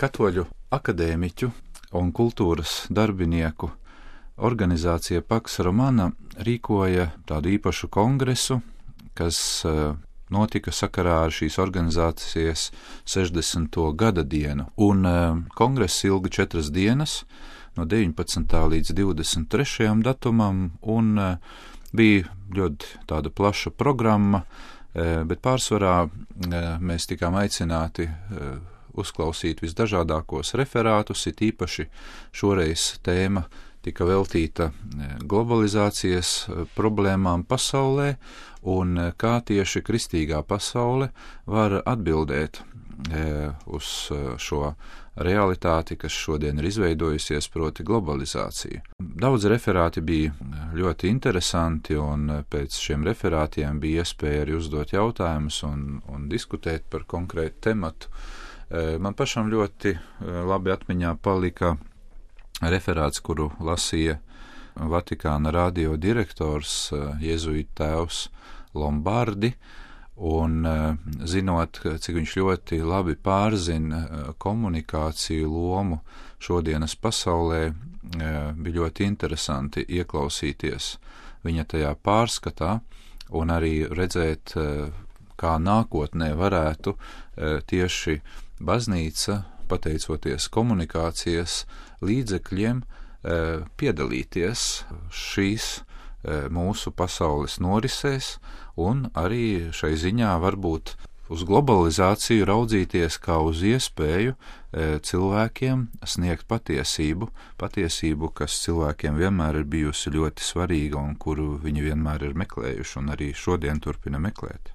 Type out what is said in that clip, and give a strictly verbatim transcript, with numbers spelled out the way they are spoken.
Katoļu akadēmiķu un kultūras darbinieku organizācija Pax Romana rīkoja tādu īpašu kongresu, kas notika sakarā ar šīs organizācijas sešdesmito gada dienu. Un kongress ilga četras dienas, no deviņpadsmitā līdz divdesmit trešajam datumam, un bija ļoti tāda plaša programma, bet pārsvarā mēs tikām aicināti uzklausīt visdažādākos referātus, it īpaši šoreiz tēma tika veltīta globalizācijas problēmām pasaulē un kā tieši kristīgā pasaule var atbildēt uz šo realitāti, kas šodien ir izveidojusies, proti globalizācija. Daudz referāti bija ļoti interesanti, un pēc šiem referātiem bija iespēja arī uzdot jautājumus un, un diskutēt par konkrētu tematu. Man pašam ļoti labi atmiņā palika referāts, kuru lasīja Vatikāna radio direktors, jēzuītu tēvs Lombardi, un zinot, cik viņš ļoti labi pārzina komunikāciju lomu šodienas pasaulē, bija ļoti interesanti ieklausīties viņa tajā pārskatā un arī redzēt, kā nākotnē varētu tieši baznīca, pateicoties komunikācijas līdzekļiem, piedalīties šīs mūsu pasaules norisēs un arī šai ziņā varbūt uz globalizāciju raudzīties kā uz iespēju cilvēkiem sniegt patiesību, patiesību, kas cilvēkiem vienmēr ir bijusi ļoti svarīga un kuru viņi vienmēr ir meklējuši un arī šodien turpina meklēt.